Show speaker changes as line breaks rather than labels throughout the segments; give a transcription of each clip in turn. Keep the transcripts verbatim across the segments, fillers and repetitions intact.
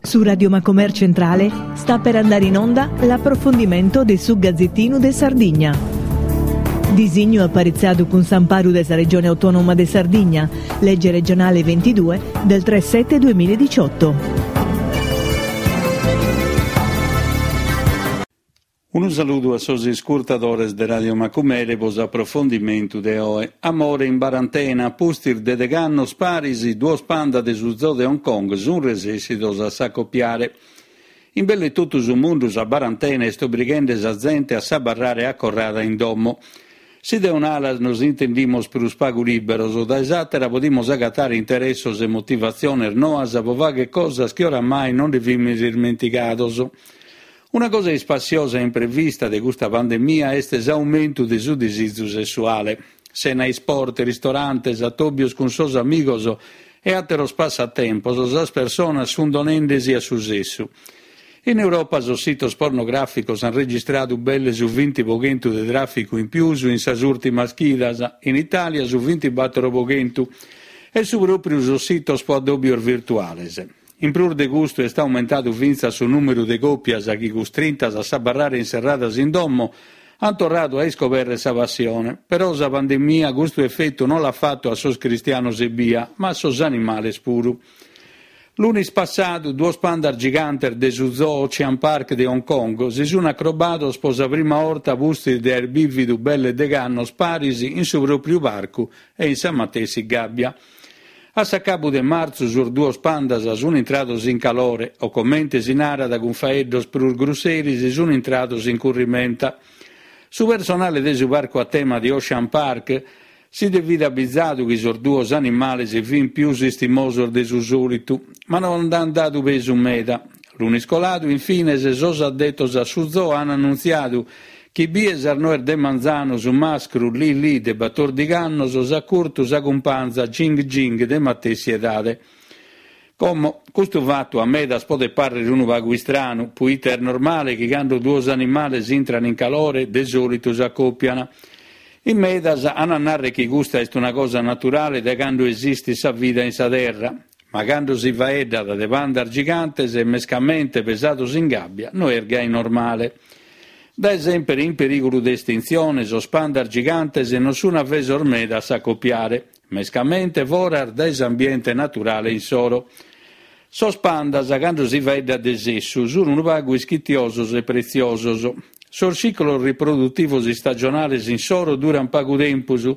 Su Radio Macomer Centrale sta per andare in onda l'approfondimento de su Gazzettinu de Sardigna. Disignu aparitzadu cun s'amparu de sa Regione Autonoma de Sardigna, legge regionale ventidue del tre sette duemiladiciotto.
Unu saludu a sos iscurtadores de Radio Macumere po s'aprofondimentu de oe. Amore in barantena, pustis de degh'annos paris, duos panda de su zoo de Hong Kong sunt resessidos a s'acopiare. In belle totu su mundu sa barantena est obrighende sa zente a s'abarrare acorrada in domo. Si de un'ala nos intendimos prus pagu liberos, dae s'àtera podimus agatare interessos e motivatziones noas po fagher cosas chi oramai non nde fimis ismentigados. Una cosa ispassiosa e imprevista de custa pandemia est s'aumentu de su disizu sessuale. Sena isport, ristorantes, atòbios cun sos amigos e àteros passatempos, sas personas sunt donende-si a su sessu. In Europa sos sitos pornogràficos ant registradu belle su vinti pro chentu de tràficu in pius in sas ùrtimas chidas, in Itàlia su vintibatoro pro chentu, e su pròpriu sos sitos pro addòbios virtuales. In prus de custu est aumentadu fintzas su nùmeru de còpias chi, custrintas a s'abarrare inserradas in domo, ant torradu a iscoberrer sa passione. Però sa pandemia custu efetu non l'at fatu a sos cristianos ebbia, ma a sos animales puru. Lunis passadu, duos pandas gigantes de su zoo Ocean Park de Hong Kong si sunt acrobados pro sa prima 'orta pustis de aer bìvidu belle degh'annos paris in su pròpriu parcu e in sa matessi gàbbia. A s'acabu de martzu sos duos pandas sunt intrados in calore, o comente si narat cun faeddos prus grusseris, sunt intrados in currimenta. Su personale de su parcu a tema de Ocean Park si nde fit abizadu chi sos duos animales fint pius istimosos de su sòlitu, ma non nd'ant dadu pesu meda. Lunis coladu, infines, sos addetos a su zoo ant annuntziadu chi bie sas noes de manzanu su mascru Li Li de batòrdighi annos s'at curtu sa cumpanza Jing Jing de matessi edade. Como, custu fatu a medas podet pàrrere unu pagu istranu, puite est normale chi cando duos animales intran in calore de sòlitu s'acòpian. In medas an a nàrrere chi custa est una cosa naturale dae cando esistit sa vida in sa terra, ma cando si faeddat de pandas gigantes e mescamente pesados in gàbbia no est gai normale. Dae semper in perìgulu de estintzione, sos pandas gigantes non sunt avesos meda a s'acopiare, mescamente foras dae s'ambiente naturale insoro. Sos pandas, cando si faeddat de sessu, sunt unu pagu ischitiosos e pretziosos. Sos ciclos riprodutivos istagionales insoro durant pagu tempus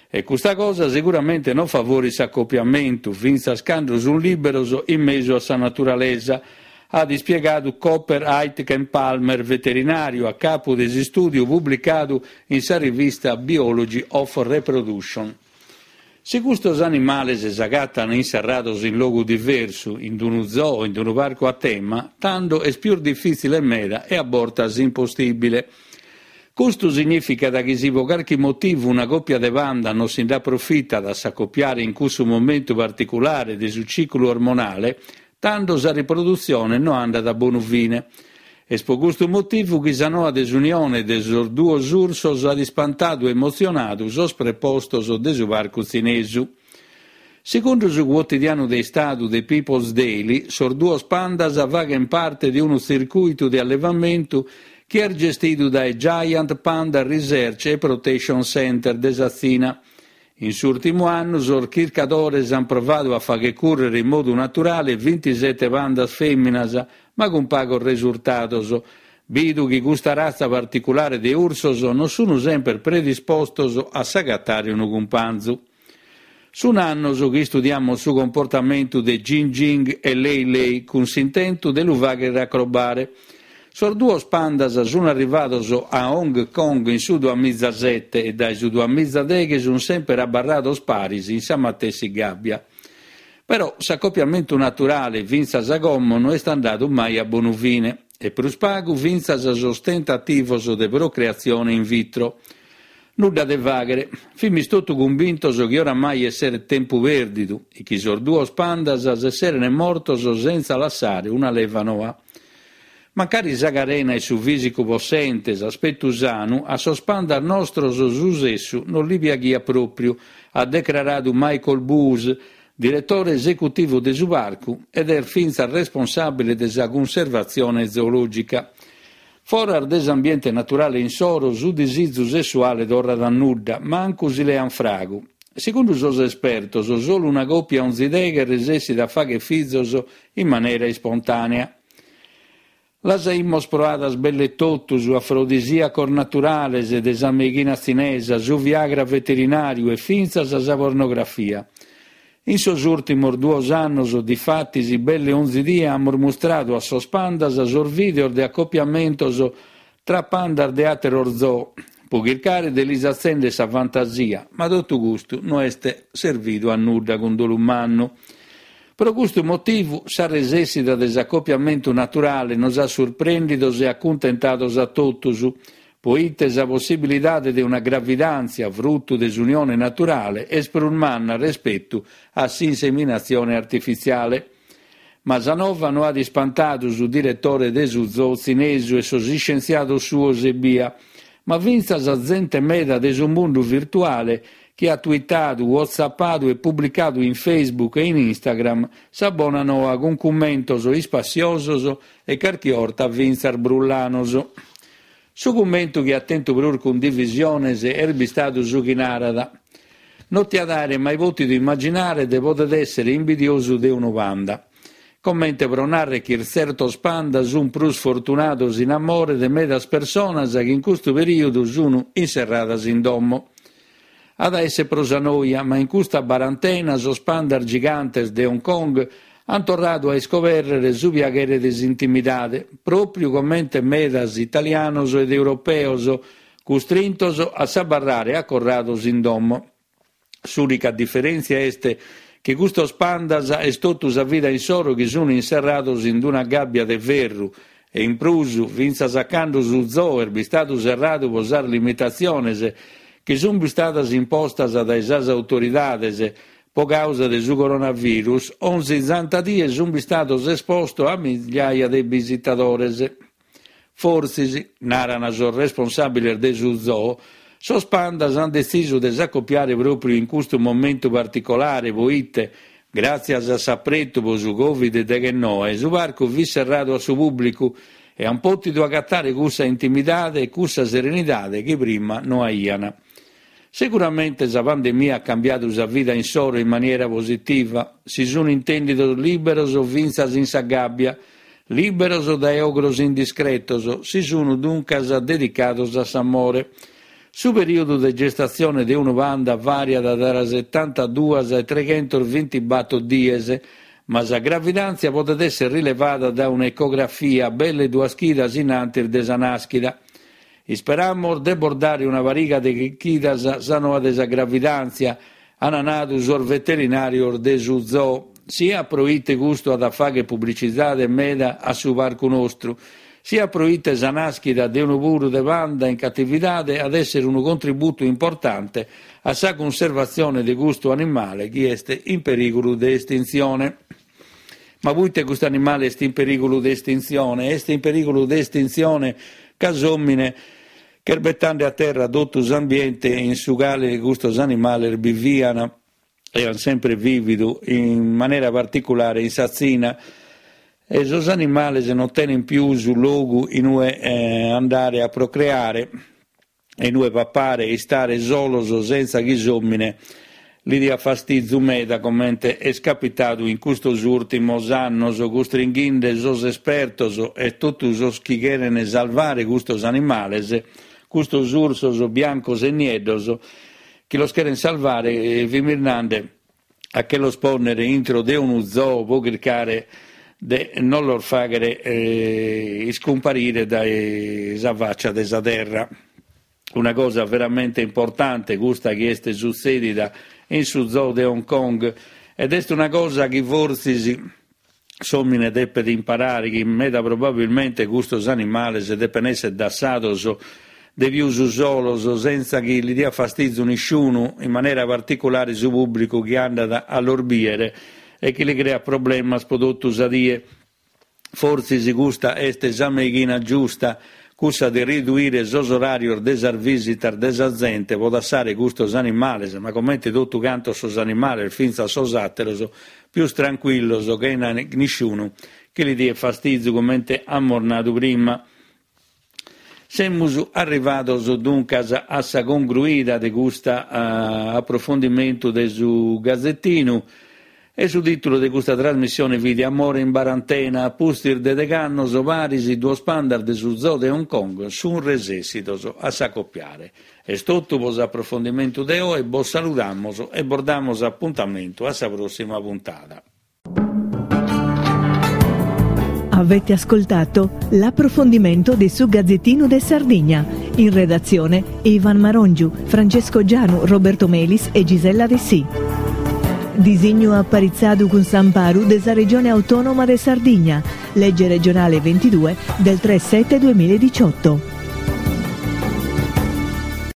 e custa cosa seguramente non favorit s'acopiamentu, fintzas cando sunt liberos in mesu a sa naturalesa, at ispiegadu Copper Aitken Palmer, veterinàriu a capu de s'istùdiu publicadu in sa rivista Biology of Reproduction. Si custos animales s'agatan inserrados in logu diversu, in unu zoo o in unu parcu a tema, tando est pius difìtzile meda e a bortas impossìbile. Custu signìficat chi si pro carchi motivu una còpia de panda non si nd'aprofitat a s'acopiare in cussu momentu particulare de su ciclu ormonale, tando sa riprodutzione no andat a bonu fine. Est pro custu motivu chi sa noa de s'unione de sos duos ursos at ispantadu e emotzionadu sos prepostos de su parcu tzinesu. Segundu su quotidianu de Istadu The People's Daily, sos duos pandas faghent parte de unu tzircùitu de allevamentu chi est gestidu dae Giant Panda Research e Protection Center de sa Tzina. In s'ùrtimu annu sos chircadores ant provadu a fagher cùrrere in modu naturale vintisete pandas fèminas, ma cun pagos resurtados, bidu chi custa ratza particulare de ursos non sunt semper predispostos a s'agatare unu cumpanzu. Sunt annos chi istudiamus su comportamentu de Jing Jing e Lei Lei cun s'intentu de lu fàghere acrobare. Sos duos pandas sunt arrivados a Hong Kong in su duamizasete e dae su duamizadeghe sunt semper abarrados paris in sa matessi gàbbia. Però s'acopiamentu naturale fintzas a como no est andadu mai a bonu fine e prus pagu fintzas sos tentativos de procreatzione in vitro. Nudda de fàghere. Fimis totu cumbintos chi oramai esseret tempu pèrdidu e chi sos duos pandas s'esseren mortos sentza lassare una leva noa. Mancari sa carena e su fìsicu possente, s'aspetu sanu, a sos pandas nostros su sessu non li piaghiat pròpriu, at decraradu Michael Boose, diretore esecutivu de su parcu ed est fintzas responsàbile de sa cunservatzione zoològica. Foras de s'ambiente naturale insoro, su disizu sessuale torrat a nudda, mancu si lean fragu. Segundu sos espertos, solu una còpia onzi deghe resessit a fàghere fizos in manera ispontànea. Las aimus proadas belle totus, afrodisìacos naturales de sa meighina tzinesa, su Viagra veterinàriu e fintzas sa pornografia. In sos ùrtimos duos annos, difatis, belle onzi die amus mustradu a sos pandas sos vìdeos de acopiamentos tra pandas de àteros zoo, pro chircare de lis atzèndere sa fantasia, ma totu custu no est servidu a nudda cun dolu mannu. Pro custu motivu, sa resessida de s'acopiamentu naturale nos at surprèndidos e acuntentados a totus, poite sa possibilidade de una gravidàntzia frutu de s'unione naturale est prus manna respetu a s'inseminatzione artifitziale. Ma sa nova no at ispantadu su diretore de su zoo tzinesu e sos iscientziados suos ebbia, ma fintzas zente meda de su mundu virtuale chi at twittadu, whatsappadu e publicadu in Facebook e in Instagram sa bona noa cun cummentos ispassiosos e carchi 'orta fintzas brullanos. Su cummentu chi at tentu prus cundivisiones est bistadu su chi narat: No tiat àere mai pòtidu immaginare de poder èssere imbidiosu de unu panda. Comente pro nàrrere chi tzertos panda sunt prus fortunados in amore de medas personas chi in custu perìodu sunt inserradas in domo. At a èssere pro sa noia, ma in custa barantena sos pandas gigantes de Hong Kong ant torradu a iscobèrrere su piaghere de s'intimidade, pròpiu comente medas italianos ed europeos custrintos a s'abarrare acorrados in domo. S'ùnica diferèntzia est chi custos pandas est totu sa vida insoro chi sunt inserrados in una gàbbia de ferru e in prus, fintzas a cando su zoo est bistadu serradu pro sas limitatziones chi sunt bistadas impostas dae sas autoridades pro càusa de su coronavirus, onzi santa die sunt bistados espostos a migliaia de bisitadores. Fortzis, naran sos responsàbiles de su zoo, sos pandas ant detzisu de s'acopiare pròpiu in custu momentu particolare, poite, gràtzias a s'apretu pro su Covid deghennoe, su parcu fit serradu a su pùblicu e ant pòtidu agatare cussa intimidade e cussa serenidade chi prima no aian. Seguramente sa pandemia at cambiadu sa vida insoro in maniera positiva, si sunt intèndidos lìberos fintzas in sa gàbbia, lìberos dae ogros indiscretos, si sunt duncas dedicados a s'amore. Su perìodu de gestatzione de unu panda vàriat tra setantaduas e treghentos bintibator dies, ma sa gravidàntzia podet èssere rilevada dae un'ecografia belle duas chidas in antis de sa nàschida. Isperamus de bos dare una pariga de chidas sa noa de sa gravidàntzia, ant nadu sos veterinàrios de su zoo, sia proite custu at a fàghere publitzidade meda a su parcu nostru, sia proite sa nàschida de unu puru de panda in catividade at èssere unu contributu importante a sa cunservatzione de custu animale chi est in perìgulu de estintzione. Ma poite custu animale est in perìgulu de estintzione? Est in perìgulu de estintzione ca s'òmine ch'est betende a terra totu s'ambiente in su cale custos animales bivian e ant sempre vìvidu, in manera particulare in sa Tzina, e sos animales non tenent pius logu in ue andare a procreare e in ue papare e istare solos sentza chi s'òmine li diat fastizu meda, comente est capitadu in custos ùrtimos annos, custringhende sos espertos e totu sos chi cherent salvare custos animales, custos ursos biancos e nieddos, chi los cherent salvare, fimis nande a che los pònnere intro de unu zoo pro chircare de non los fàghere iscumparire dae sa fàcia de sa terra. Una cosa veramente importante custa chi est sutzèdida in su zoo de Hong Kong, ed est una cosa chi fortzis s'òmine depet imparare, chi meda probabilmente custos animales depen èssere dassados de pius solos, sentza chi li diat fastizu nisciunu, in manera particulare su pùblicu chi andat a los bìere e chi li creat problemas pro totu sa die. Fortzis custa est sa meighina giusta, cussa de riduire sos oràrios de sas vìsitas de sa zente pro dassare custos animales, ma comente totu cantos sos animales, fintzas sos àteros, pius trancuillos, chena nisciunu chi li diet fastizu, comente amus nadu prima. Semus arrivados duncas a sa congruida de custa aprofondimentu de su Gazetinu e su tìtulu de custa trasmissione fit Amore in barantena, a pustis de deg'annos paris duos pandas de su zoo de Hong Kong sunt resessidos a s'acopiare. Est totu pro s'aprofondimentu de oe, bos saludamus e bos damus apuntamentu a sa pròssima puntada.
Avete ascoltato l'approfondimento di su Gazzettino de Sardigna. In redazione Ivan Marongiu, Francesco Gianu, Roberto Melis e Gisella Dessì. Disignu aparitzadu cun s'amparu de sa Regione Autonoma de Sardigna, legge regionale ventidue del tre sette duemiladiciotto.